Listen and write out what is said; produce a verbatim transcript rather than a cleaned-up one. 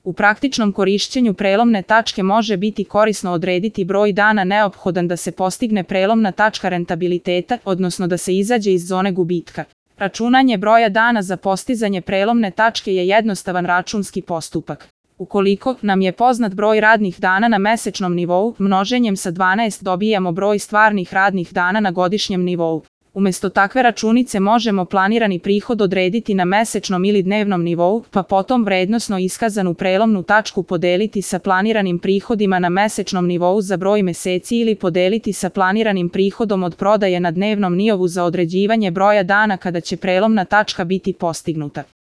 U praktičnom korišćenju prelomne tačke može biti korisno odrediti broj dana neophodan da se postigne prelomna tačka rentabiliteta, odnosno da se izađe iz zone gubitka. Računanje broja dana za postizanje prelomne tačke je jednostavan računski postupak. Ukoliko nam je poznat broj radnih dana na mesečnom nivou, množenjem sa dvanaest dobijamo broj stvarnih radnih dana na godišnjem nivou. Umesto takve računice možemo planirani prihod odrediti na mesečnom ili dnevnom nivou, pa potom vrednosno iskazanu prelomnu tačku podeliti sa planiranim prihodima na mesečnom nivou za broj meseci ili podeliti sa planiranim prihodom od prodaje na dnevnom nivou za određivanje broja dana kada će prelomna tačka biti postignuta.